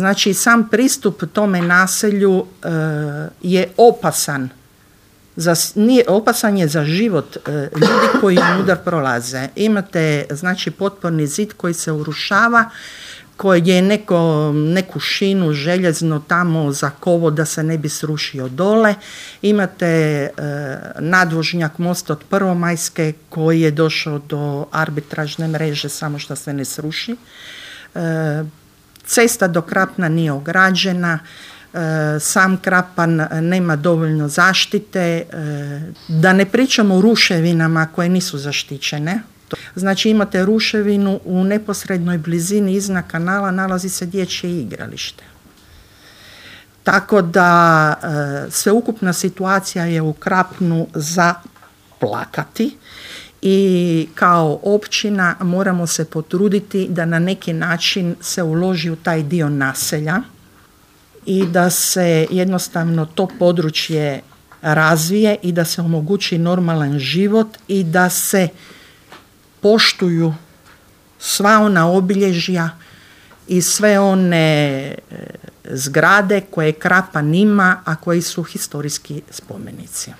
Znači, sam pristup tome naselju je opasan. Opasan je za život ljudi koji unutar prolaze. Imate, znači, potporni zid koji se urušava, koji je neku šinu željezno tamo zakovo da se ne bi srušio dole. Imate nadvožnjak most od Prvomajske koji je došao do arbitražne mreže, samo što se ne sruši. Cesta do Krapna nije ograđena, sam Krapan nema dovoljno zaštite, da ne pričamo o ruševinama koje nisu zaštićene. Znači, imate ruševinu u neposrednoj blizini iznad kanala nalazi se dječje igralište. Tako da sveukupna situacija je u Krapnu za plakati i kao općina moramo se potruditi da na neki način se uloži u taj dio naselja i da se jednostavno to područje razvije i da se omogući normalan život i da se poštuju sva ona obilježja i sve one zgrade koje Krapan ima, a koji su historijski spomenici.